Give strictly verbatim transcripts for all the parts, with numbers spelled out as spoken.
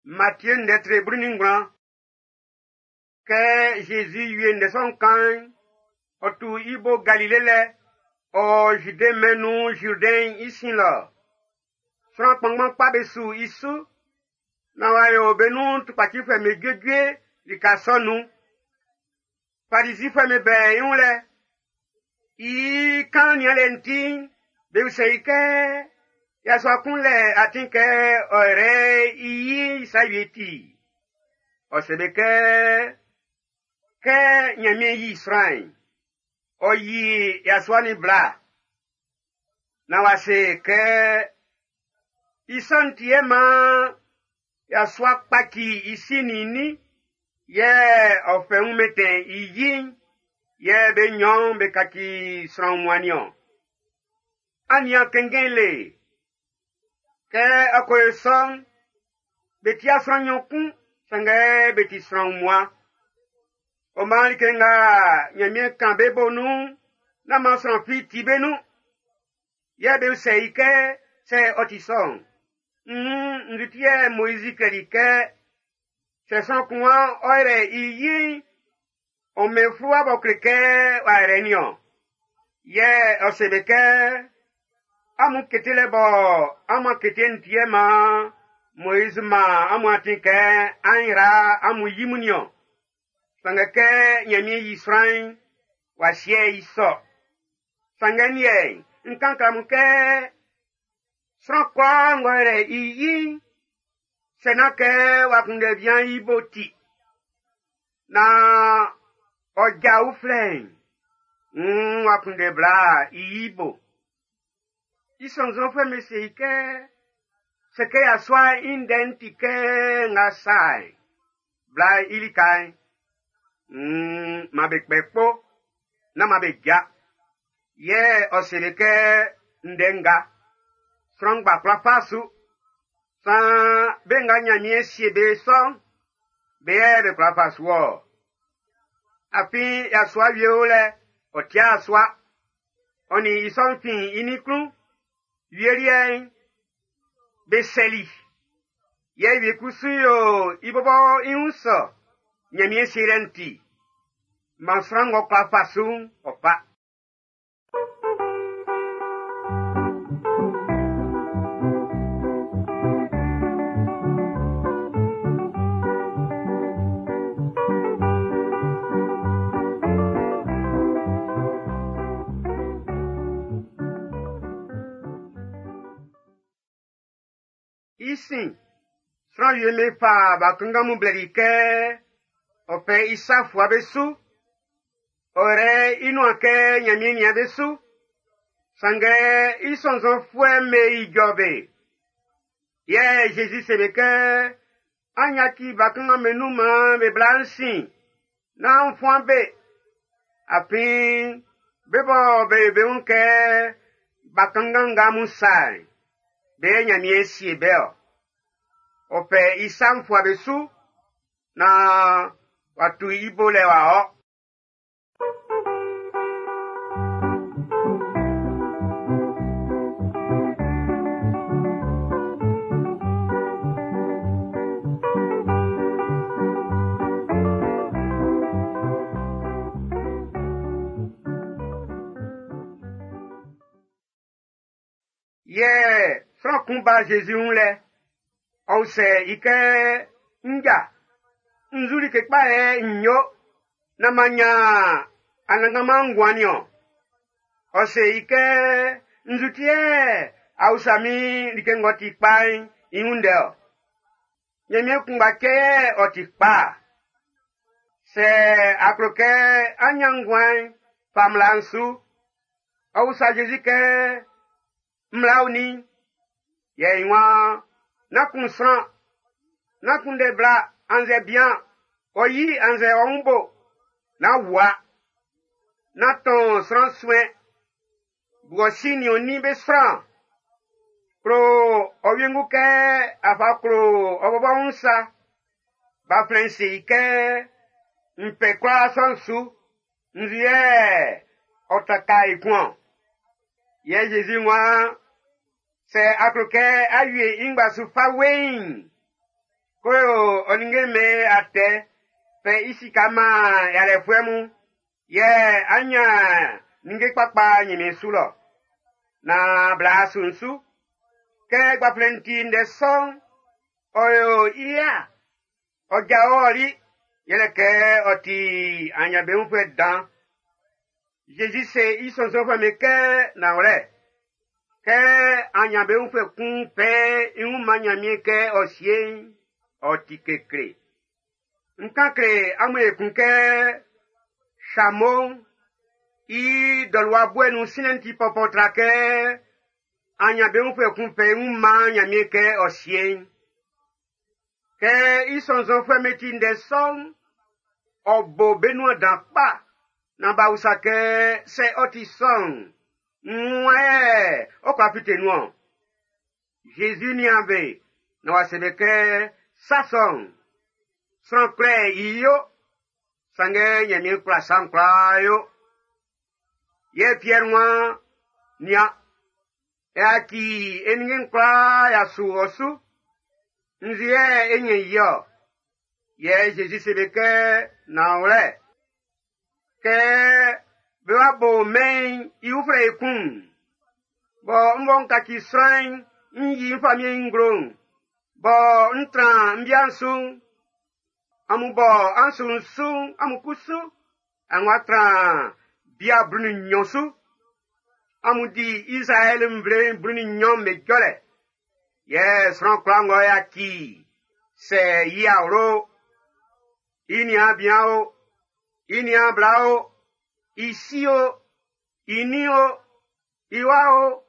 Matthieu ndɛtre blu nin ngwlan. Kɛ Zezi wie ndɛ sɔ'n kan'n, ɔ tu i bo Galile lɛ, ɔ Zude mɛn'n nun Zurdɛn'n i sin lɔ. Sran kpanngban kpa be su i su, naan w'a yo be nun tukpacifuɛ'm be juejue lika sɔ'n nun. Farizifuɛ'm be bɛ i wun lɛ. I kan nianlɛ'n ti'n, be usɛ i kɛ, yasua kun lɛ atin kɛ ɔ yrɛ i yi sa wie ti. Ɔ se be kɛ, kɛ Ɲanmiɛn yi sran'n, ɔ yi yasua nin bla. Naan w'a se kɛ, i sɔ'n ti yɛ maan yasua kpaci i si nin i nin, yɛ ɔ fɛ wun mɛntɛn i yi'n, yɛ be nɲɔn'n be kaci sran wunmuan niɔn. An nian kɛnngɛn le. Kɛ ɔ ko yo sɔ'n, be tia sran nɲɔn kun, sanngɛ be ti sran wunmuan. Ɔ maan like nga Ɲanmiɛn kan be bo nun'n, nán maan sran fi ti be nun. Yɛ be usɛ i kɛ, sɛ ɔ ti sɔ'n, nn nzu ti yɛ Moizi klɛli kɛ, sɛ sran kun waan ɔ yrɛ i yi'n, ɔ mɛn fluwa b'ɔ kle kɛ w'a yrɛ niɔn. Yɛ ɔ se be kɛ, amun ketelɛ bɔ amun kete'n ti yɛ maan Moizi man amun atin kɛ an yra amun yi mun niɔn. Sanngɛ kɛ Ɲanmiɛn yi sran'n, w'a sie i sɔ. Sanngɛ n liɛ'n, n kan kle amun kɛ, sran kwlaa ng'ɔ yrɛ i yi'n, sɛ nán kɛ w'a kunndɛ bian i bo ti, naan ɔ ja uflɛ'n, nn w'a kunndɛ bla i yi bo. I sɔnnzɔnfuɛ'm be se i kɛ, sɛ kɛ yasua'n i ndɛ'n ti kɛ nga sa'n, bla i lika'n, nn man be kpɛ kpo, nán man be ja. Yɛ ɔ se be kɛ ndɛ nga, sran ngba kwla fa su. Saan be nga Ɲanmiɛn sie be sɔ'n, be yɛ be kwla fa su ɔ. Afin yasua wie o lɛ, ɔ tia sua. Ɔ nin i sɔ'n fin i nin klun. Wie liɛ'n, be sɛli. Yɛ wie kusu yo i bɔbɔ i wun sɔ, Ɲanmiɛn sielɛ'n ti. Man sran ng'ɔ kwla fa su'n, ɔ fa. I sin, sran wie me fa bakanngan mun blɛli i kɛ ɔ fɛ i sa fua be su. Ɔ yrɛ i nuan kɛ Ɲanmiɛn nian be su. Sanngɛ i sɔnnzɔnfuɛ'm be ijɔ be. Yɛ Zezi se be kɛ, an yaci bakanngan'm be nun maan be bla n sin, nán an fuan be. Afin be bɔ be be wun kɛ bakanngan nga mun sa'n, be yɛ Ɲanmiɛn sie be ɔ. Ɔ fɛ i sa'n fua be su, naan w'a tu i bo lɛ w'a ɔ. Yɛ sran kun ba Zezi wun lɛ, ɔ usɛ i kɛ, nja, nzu like kpa yɛ n yo, naan m'an ɲan Anannganman nguan niɔn. Ɔ se i kɛ, nzu ti yɛ a usa min like ng'ɔ ti kpa'n i wun ndɛ ɔ. Ɲanmiɛn kunngba cɛ yɛ ɔ ti kpa. Sɛ a klo kɛ á ɲán nguan'n, fa mmla'n su. Ɔ usa Zezi kɛ, mmla onin? Yɛ i waan, nán kun sran, nán kunndɛ bla annzɛ bian, ɔ yi annzɛ ɔ wun bo, nán wua, nán tɔn sran suɛn, bu ɔ si nin ɔ nin be sran. Klo ɔ wiengu kɛ a fa klo ɔ bɔbɔ wun sa. Gbanflɛn'n se i kɛ, n fɛ kwlaa sɔ'n su, nzu yɛ ɔ taka ekun ɔ. Yɛ Zezi waan, sɛ a klo kɛ a wie i ngba su fa weiin, Ko yo ɔ ninnge'm be atɛ fɛ i sika man yalɛfuɛ mun, yɛ á ɲán ninnge kpakpa Ɲanmiɛn su lɔ. Naan bla su'n su. Kɛ gbanflɛn'n ti ndɛ sɔ'n, ɔ yo i ya. Ɔ jao ɔli, yɛlɛ kɛ ɔ ti aɲanbeunfuɛ dan. Zezi se i sɔnnzɔnfuɛ'm be kɛ nanwlɛ, kɛ aɲanbeunfuɛ kun fɛ i wun man Ɲanmiɛn kɛ ɔ sie'n, ɔ ti kekle. N kan kle amun ekun kɛ Samo i dɔluwa buɛ nun sinlɛ'n ti pɔpɔ tra kɛ aɲanbeunfuɛ kun fɛ i wun man Ɲanmiɛn kɛ ɔ sie'n. Kɛ i sɔnnzɔnfuɛ'm be ti ndɛ sɔ'n, ɔ bo be nuan dan kpa naan b'a usa kɛ sɛ ɔ ti sɔ'n, nn wan yɛ ɔ kwla fite nun-ɔn? Zezi nian be naan w'a se be kɛ sa sɔ'n, sran kwlɛ i yo, sanngɛ Ɲanmiɛn kwla sa'n kwlaa yo. Yɛ Piɛr waan, nian, e yaci e ninnge'n kwlaa y'a su ɔ su. Nzu yɛ e ɲɛn i-ɔ? Yɛ Zezi se be kɛ, nanwlɛ, kɛ be wa bo mɛn'n i uflɛ ekun'n, bɔ n bɔ n kaci sran'n n yi n famiɛn'n i nglo'n, bɔ n tran n bia'n su'n, amun bɔ an su n su'n, amun kusu, an wa tran bia blu nin nnyɔn su. Amun di Izraɛl nvle'n blu nin nnyɔn'm be jɔlɛ. Yɛ sran kwlaa ng'ɔ yaci sɛ i awlo, i niaan bian o, i niaan bla o, i si o, i nin o, i wa o,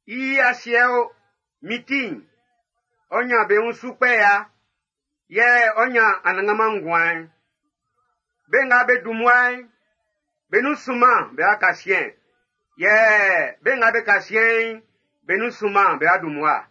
i asiɛ o, min ti'n, ɔ ɲan be wun su kpɛ ya, yɛ ɔ ɲan anannganman nguan'n. Be nga be dun mmua'n, be nun sunman be wa ka siɛn. Yɛ be nga be ka siɛn'n, be nun sunman be wa dun mmua.